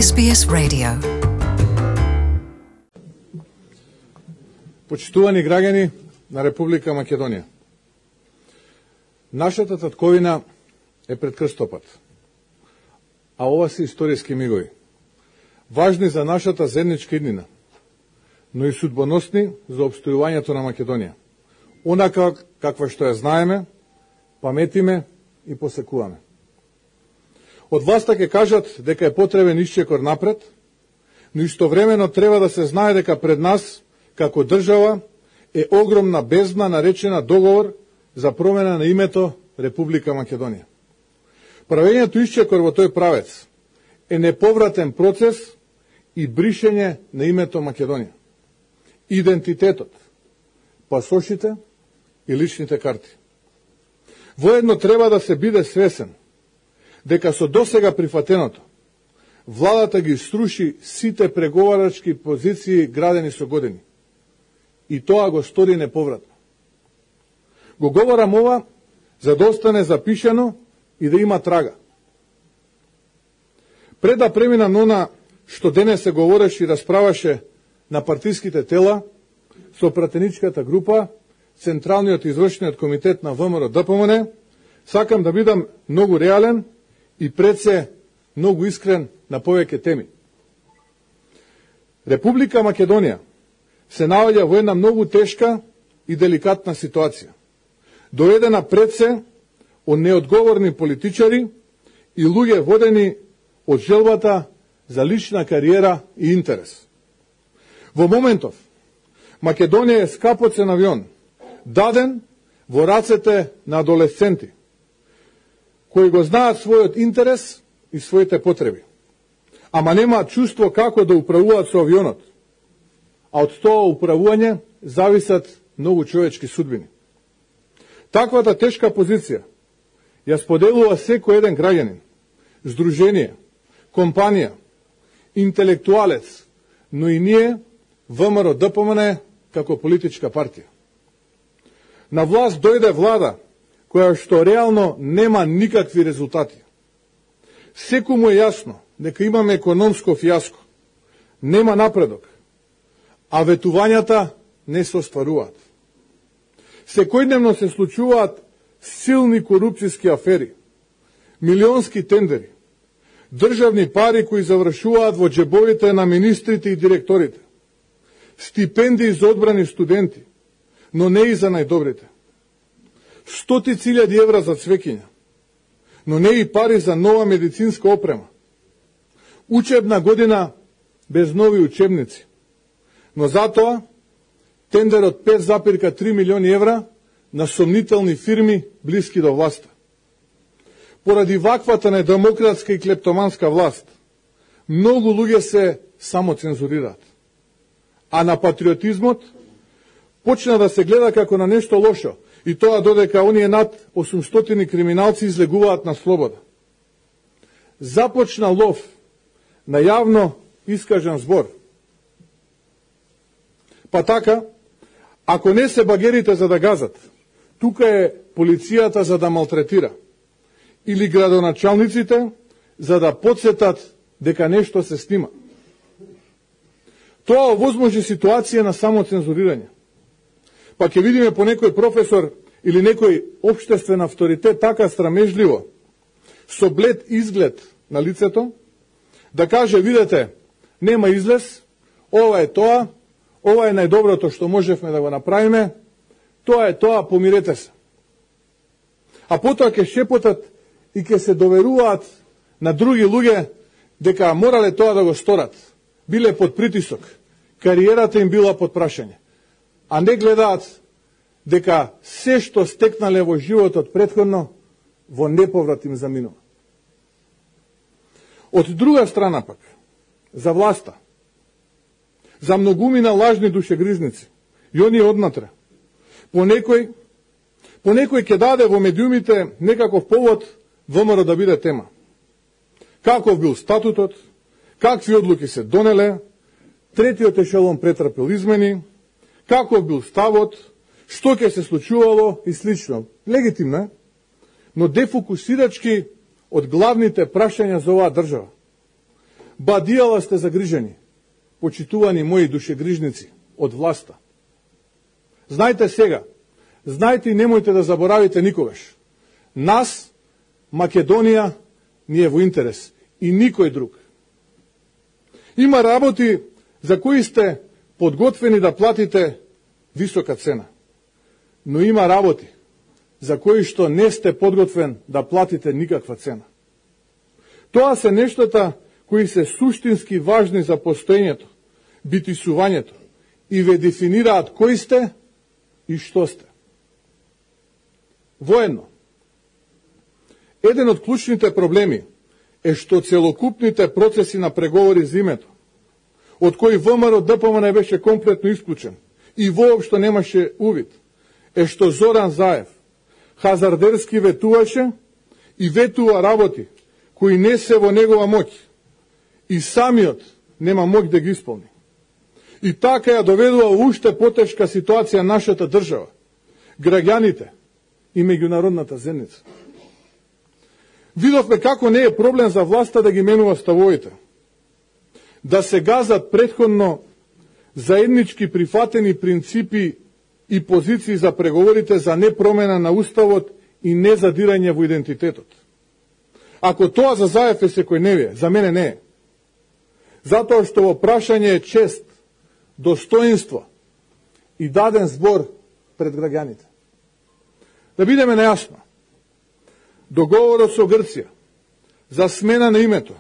SBS Radio. Почитувани граѓани на Република Македонија. Нашата татковина е пред крстопат, а ова се историски мигови, важни за нашата заедничка иднина, но и судбоносни за опстојувањето на Македонија, онака каква што ја знаеме, паметиме и посекуваме. Од власта ќе кажат дека е потребен исчекор напред, но истовремено треба да се знае дека пред нас, како држава, е огромна бездна наречена договор за промена на името Република Македонија. Правењето исчекор во тој правец е неповратен процес и бришење на името Македонија, идентитетот, пасошите и личните карти. Воедно треба да се биде свесен дека со досега прифатеното, владата ги струши сите преговарачки позиции градени со години. И тоа го стори неповратно. Го говорам ова за да остане запишано и да има трага. Пред да преминам на она што денес се говореше и расправаше на партиските тела, со пратеничката група, Централниот извршниот комитет на ВМРО ДПМН, сакам да бидам многу реален и пред се многу искрен на повеќе теми. Република Македонија се наоѓа во една многу тешка и деликатна ситуација, доведена пред се од неодговорни политичари и луѓе водени од желбата за лична кариера и интерес. Во моментов, Македонија е скапоцен авион, даден во рацете на адолесценти, кои го знаат својот интерес и своите потреби, ама немаат чувство како да управуваат со авионот, а од тоа управување зависат многу човечки судбини. Таквата тешка позиција ја споделува секој еден граѓанин, здружение, компанија, интелектуалец, но и ние, ВМРО ДПМН, како политичка партија. На власт дојде влада која што реално нема никакви резултати. Секому е јасно дека имаме економско фијаско, нема напредок, а ветувањата не се остваруваат. Секојдневно се случуваат силни корупцијски афери, милионски тендери, државни пари кои завршуваат во џебовите на министрите и директорите, стипендии за одбрани студенти, но не и за најдобрите. 100.000 евра за цвеќиња, но не и пари за нова медицинска опрема. Учебна година без нови учебници, но затоа тендер од 5,3 милиони евра на сомнителни фирми блиски до власта. Поради ваквата недемократска и клептоманска власт, многу луѓе се самоцензурираат, а на патриотизмот почна да се гледа како на нешто лошо, и тоа додека оние над 800 криминалци излегуваат на слобода. Започна лов на јавно искажан збор. Па така, ако не се багерите за да газат, тука е полицијата за да малтретира, или градоначалниците за да подсетат дека нешто се снима. Тоа овозможи ситуација на самоцензурирање. Па ќе видиме по некој професор или некој општествен авторитет така страмежливо, со блед изглед на лицето, да каже, видете, нема излез, ова е тоа, ова е најдоброто што можевме да го направиме, тоа е тоа, помирете се. А потоа ќе шепотат и ќе се доверуваат на други луѓе дека морале тоа да го сторат, биле под притисок, кариерата им била под прашање, а не гледаат дека се што стекнале во животот претходно во неповрат им заминува. Од друга страна пак, за власта, за многумина лажни душегризници, и оние однатре, по некој ќе даде во медиумите некаков повод ВМРО да биде тема. Каков бил статутот, какви одлуки се донеле, третиот ешелон претрпел измени, каков бил ставот, што ќе се случувало и слично. Легитимно е, но дефокусирачки од главните прашања за оваа држава. Бадијала сте загрижени, почитувани мои душегрижници од власта. Знајте сега, знајте и немојте да заборавите никогаш. Нас, Македонија, ни е во интерес и никој друг. Има работи за кои сте подготвени да платите висока цена. Но има работи за кои што не сте подготвен да платите никаква цена. Тоа се нештата кои се суштински важни за постоењето, битисувањето и ве дефинираат кои сте и што сте. Воедно, еден од клучните проблеми е што целокупните процеси на преговори за името, од кои ВМРО ДПМН беше комплетно исклучен и воопшто немаше увид, е што Зоран Заев хазардерски ветуваше и ветува работи кои не се во негова моќ и самиот нема моќ да ги исполни. И така ја доведува во уште потешка ситуација нашата држава, граѓаните и меѓународната заедница. Видовме како не е проблем за власта да ги менува ставовите, да се газат претходно заеднички прифатени принципи и позиции за преговорите за непромена на уставот и незадирање во идентитетот. Ако тоа за Заев е секојневие, за мене не е. Затоа што во прашање е чест, достоинство и даден збор пред граѓаните. Да бидеме најасно, договорот со Грција за смена на името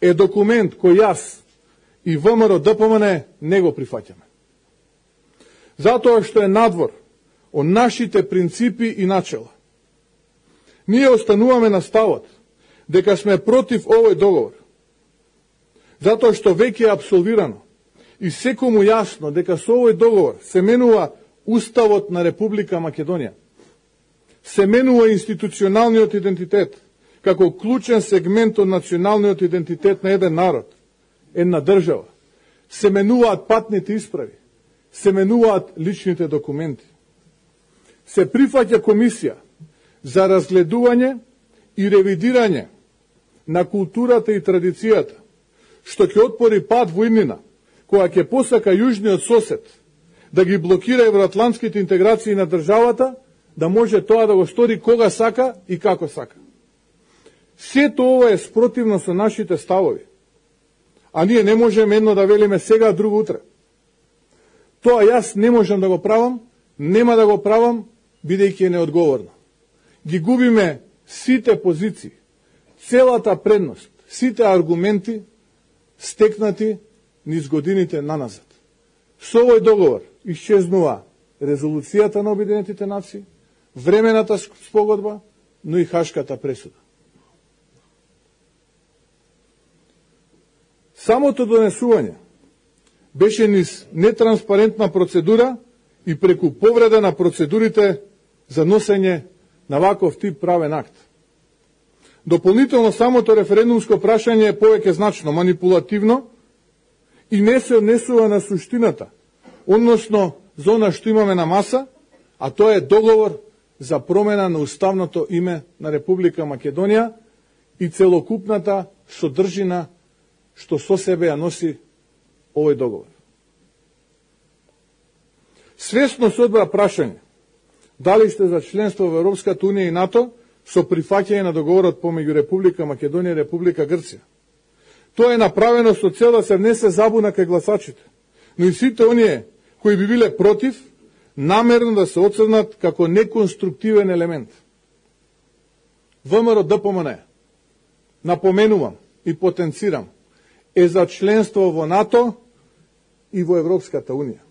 е документ кој јас и ВМРО ДПМН не го прифаќаме. Затоа што е надвор од нашите принципи и начела. Ние остануваме на ставот дека сме против овој договор, затоа што веќе е апсолвирано и секому јасно дека со овој договор се менува Уставот на Република Македонија, се менува институционалниот идентитет како клучен сегмент од националниот идентитет на еден народ, една држава, се менуваат патните исправи, се менуваат личните документи. Се прифаќа комисија за разгледување и ревидирање на културата и традицијата, што ќе отпори пат во иднина, која ќе посака јужниот сосед да ги блокира евроатлантските интеграции на државата, да може тоа да го стори кога сака и како сака. Сето ова е спротивно со нашите ставови, а ние не можеме едно да велиме сега, а друго утре. Тоа јас не можам да го правам, нема да го правам, бидејќи е неодговорно. Ги губиме сите позиции, целата предност, сите аргументи стекнати низ годините наназад. Со овој договор исчезнува резолуцијата на Обединетите нации, времената спогодба, но и Хашката пресуда. Самото донесување беше низ нетранспарентна процедура и преку повреда на процедурите за носење на ваков тип правен акт. Дополнително, самото референдумско прашање е повеќе значно манипулативно и не се однесува на суштината, односно за она што имаме на маса, а тоа е договор за промена на уставното име на Република Македонија и целокупната содржина што со себе ја носи овој договор. Свесно се одбра прашање дали сте за членство во Европската унија и НАТО со прифаќање на договорот помеѓу Република Македонија и Република Грција. Тоа е направено со цел да се внесе забуна кај гласачите, но и сите оние кои би биле против, намерно да се оцрнат како неконструктивен елемент. ВМРО ДПМН, напоменувам и потенцирам, е за членство во НАТО и во Европската унија.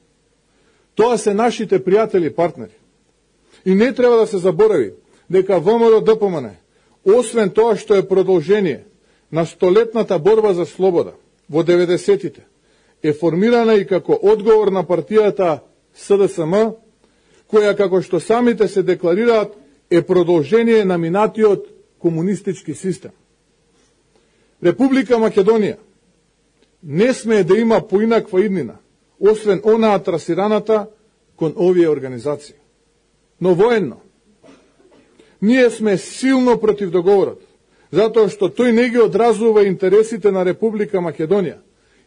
Тоа се нашите пријатели и партнери. И не треба да се заборави дека ВМРО ДПМН, освен тоа што е продолжение на столетната борба за слобода во 90-тите, е формирана и како одговор на партијата СДСМ, која, како што самите се декларираат, е продолжение на минатиот комунистички систем. Република Македонија не смее да има поинаква иднина, освен онаа трасираната кон овие организации. Но военно, ние сме силно против договорот, затоа што тој не ги одразува интересите на Република Македонија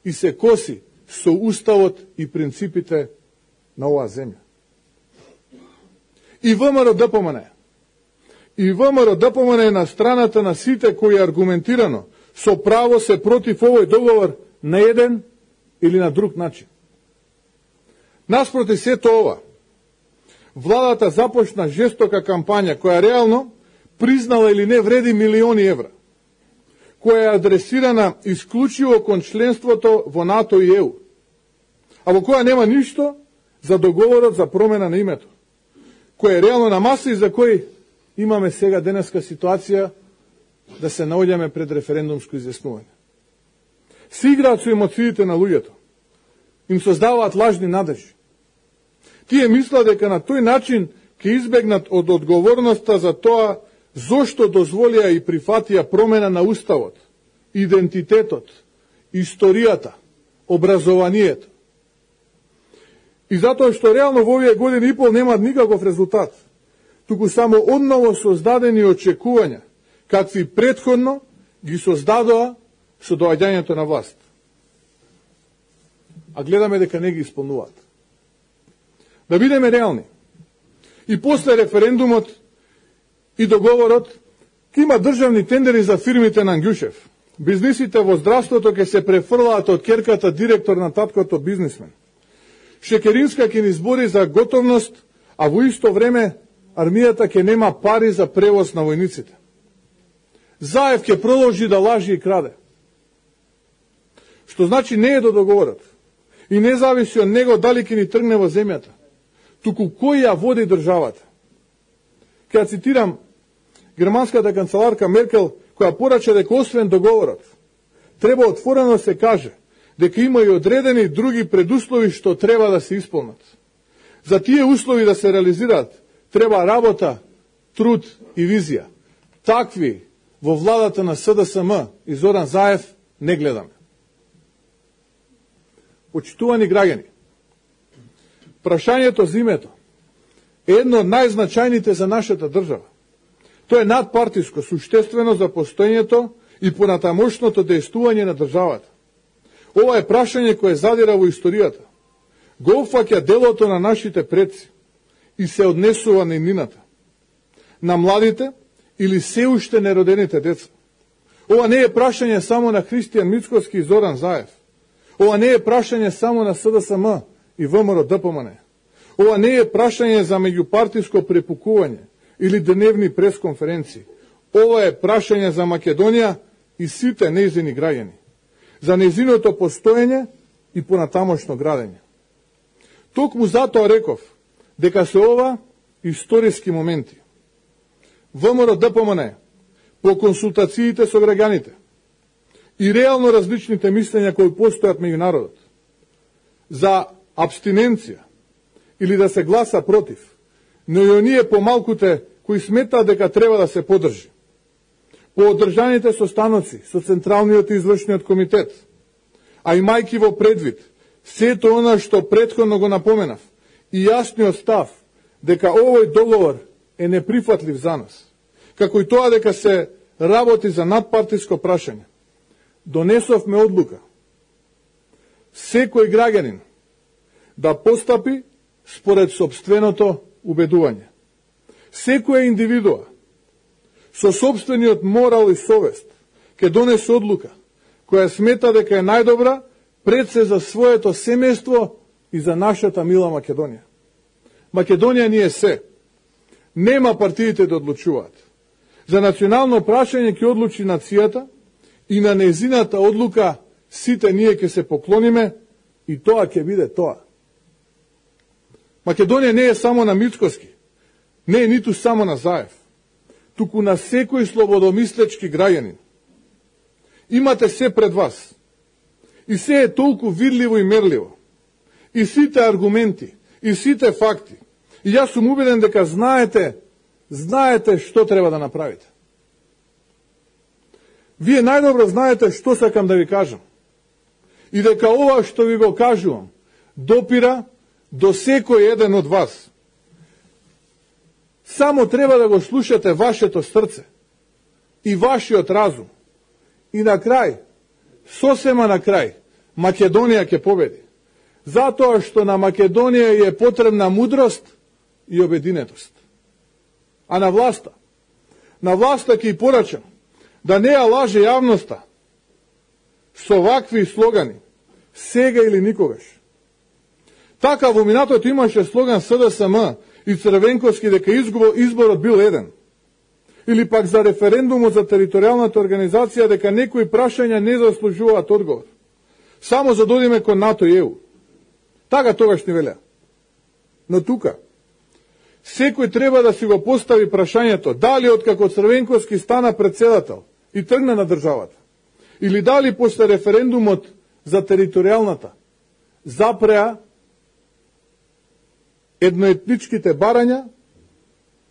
и се коси со уставот и принципите на оваа земја. И ВМРО-ДПМН е на страната на сите кои аргументирано со право се против овој договор на еден или на друг начин. Наспроти сето ова, владата започна жестока кампања која реално признала или не вреди милиони евра, која е адресирана исклучиво кон членството во НАТО и ЕУ, а во која нема ништо за договорот за промена на името, кој е реално на маса и за кој имаме сега денеска ситуација да се наоѓаме пред референдумско изјаснување. Се играат со емоциите на луѓето, им создаваат лажни надежи. Тие мислат дека на тој начин ќе избегнат од одговорноста за тоа зошто дозволија и прифатија промена на уставот, идентитетот, историјата, образованието. И затоа што реално во овие години и пол немаат никаков резултат, туку само одново создадени очекувања, какви претходно ги создадоа со доаѓањето на власт. А гледаме дека не ги исполнуваат. Да бидеме реални. И после референдумот и договорот ќе има државни тендери за фирмите на Ангјушев. Бизнисите во здравството ќе се префрлаат од ќерката директор на таткото бизнисмен. Шекеринска ќе ни збори за готовност, а во исто време армијата ќе нема пари за превоз на војниците. Заев ќе продолжи да лажи и краде. Што значи не е до договорот. И не зависи од него дали ќе ни тргне во земјата, туку кој ја води државата. Ке цитирам германската канцеларка Меркел, која порача дека освен договорот, треба отворено се каже дека има и одредени други предуслови што треба да се исполнат. За тие услови да се реализираат, треба работа, труд и визија. Такви во владата на СДСМ и Зоран Заев не гледаме. Почитувани граѓани, прашањето за името е едно од најзначајните за нашата држава. Тоа е надпартиско, суштествено за постоењето и понатамошното дејствување на државата. Ова е прашање кое задира во историјата. Го опфаќа делото на нашите предци и се однесува на иднината, на младите или се уште неродените деца. Ова не е прашање само на Христијан Мицкоски и Зоран Заев. Ова не е прашање само на СДСМ и ВМРО-ДПМН. Ова не е прашање за меѓупартиско препукување или дневни пресконференции. Ова е прашање за Македонија и сите нејзини граѓани, за нејзиното постоење и понатамошно градење. Токму затоа реков дека се ова историски моменти. ВМРО-ДПМН по консултациите со граѓаните и реално различните мислења кои постојат меѓу народот за абстиненција или да се гласа против, но и оние помалкуте кои сметаат дека треба да се подржи. По одржаните состаноци со Централниот и Извршниот комитет, а имајќи во предвид сето она што претходно го напоменав и јасниот став дека овој договор е неприфатлив за нас, како и тоа дека се работи за надпартиско прашање, донесовме одлука секој граѓанин да постапи според собственото убедување. Секоја индивидуа со собствениот морал и совест ќе донесе одлука која смета дека е најдобра пред се за своето семејство и за нашата мила Македонија. Македонија ни е се. Нема партиите да одлучуваат. За национално прашање ќе одлучи нацијата и на нејзината одлука сите ние ќе се поклониме и тоа ќе биде тоа. Македонија не е само на Мицкоски, не е ниту само на Заев, туку на секој слободомислечки граѓанин. Имате се пред вас. И се е толку видливо и мерливо. И сите аргументи, и сите факти. И јас сум убеден дека знаете што треба да направите. Вие најдобро знаете што сакам да ви кажам. И дека ова што ви го кажувам допира до секој еден од вас. Само треба да го слушате вашето срце. и вашиот разум. И на крај, сосема на крај, Македонија ќе победи. Затоа што на Македонија е потребна мудрост и обединетост. А на власта ќе порачам да не ја лаже јавноста со вакви слогани, сега или никогаш. Така во минатото имаше слоган СДСМ и Црвенковски дека изборот бил еден. Или пак за референдумот за територијалната организација дека некои прашања не заслужуваат одговор. Само за да одиме кон НАТО и ЕУ. Така тогаш ни велеа. Но тука, секој треба да си го постави прашањето дали откако Црвенковски стана председател и тргна на државата, или дали после референдумот за територијалната запреа едноетничките барања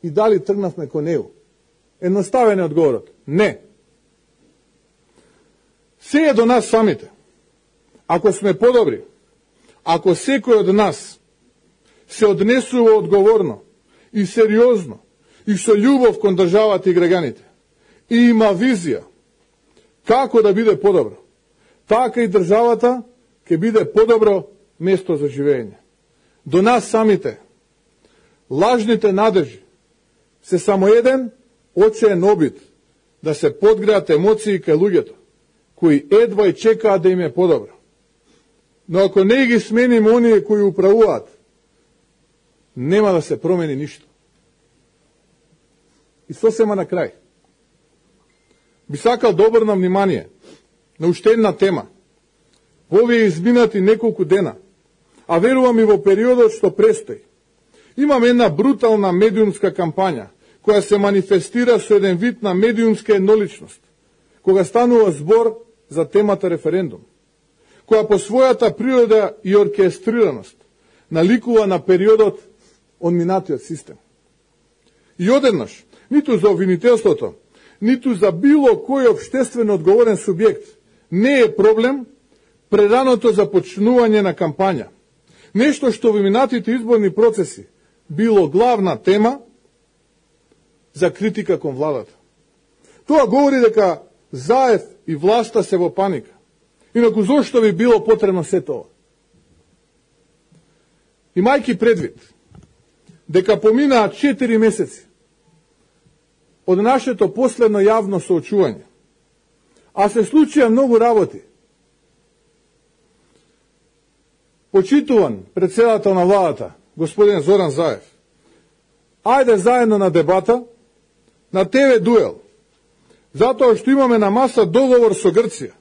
и дали тргнавме кон ЕУ. Едноставен е одговорот. Не. Се е до нас самите. Ако сме подобри, ако секој од нас се однесува одговорно и сериозно и со љубов кон државата и граѓаните и има визија како да биде подобро, така и државата ќе биде подобро место за живење. До нас самите, лажните надежи се само еден очен обид да се подгреат емоции кај луѓето, кои едва и чекаат да им е подобро. Но ако не ги смениме оние кои управуваат, нема да се промени ништо. И сосема на крај. Би сакал да обрнам внимание на уште една тема. Во овие изминати неколку дена, а верувам и во периодот што престои, имаме една брутална медиумска кампања, која се манифестира со еден вид на медиумска едноличност, кога станува збор за темата референдум, која по својата природа и оркестрираност наликува на периодот од минатиот систем. И одеднаш, ниту за обвинителството, ниту за било кој општествено одговорен субјект не е проблем прераното започнување на кампања. Нешто што во минатите изборни процеси било главна тема за критика кон владата. Тоа говори дека Заев и власта се во паника. Инаку зошто би било потребно се тоа? Имајќи предвид дека поминаа 4 месеци од нашето последно јавно соочување, а се случија многу работи, почитуван председател на владата, господин Зоран Заев, ајде заедно на дебата, на ТВ дуел, затоа што имаме на маса договор со Грција.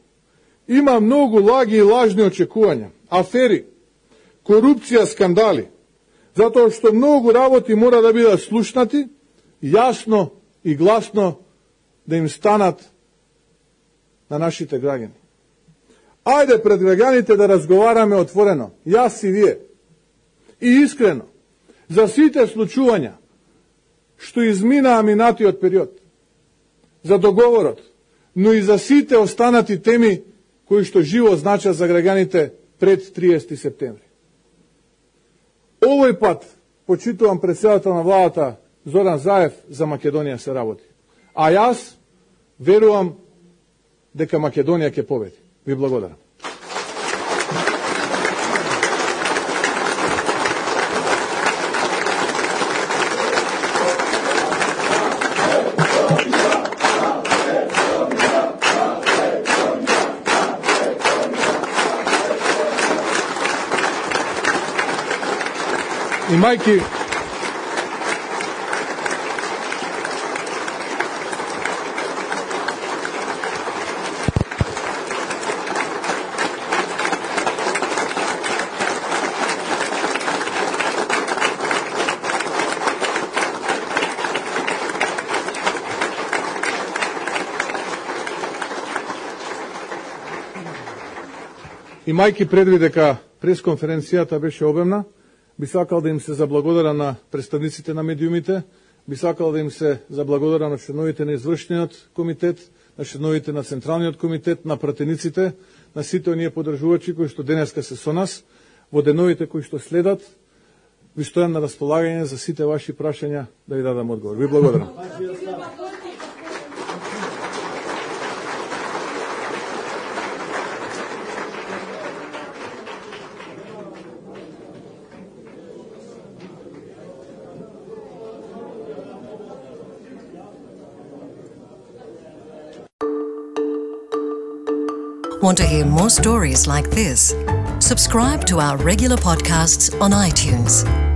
Има многу лаги и лажни очекувања, афери, корупција, скандали, затоа што многу работи мора да бидат слушнати, јасно и гласно да им станат на нашите граѓани. Ајде пред граѓаните да разговараме отворено, јас и вие, и искрено, за сите случувања што изминаа минатиот период, за договорот, но и за сите останати теми кои што живо значат за граѓаните пред 30 септември. Овој пат, почитувам председател на владата Зоран Заев, за Македонија се работи. А јас верувам дека Македонија ќе победи. Ви благодарам. Имајќи предвид дека пресконференцијата беше обемна, би сакал да им се заблагодарам на представниците на медиумите, би сакал да им се заблагодарам на членовите на извршниот комитет, на членовите на Централниот комитет, на пратениците, на сите оние поддржувачи кои што денеска се со нас, во деновите кои што следат, ви стојам на располагање за сите ваши прашања да ви дадам одговор. Ви благодарам. Want to hear more stories like this? Subscribe to our regular podcasts on iTunes.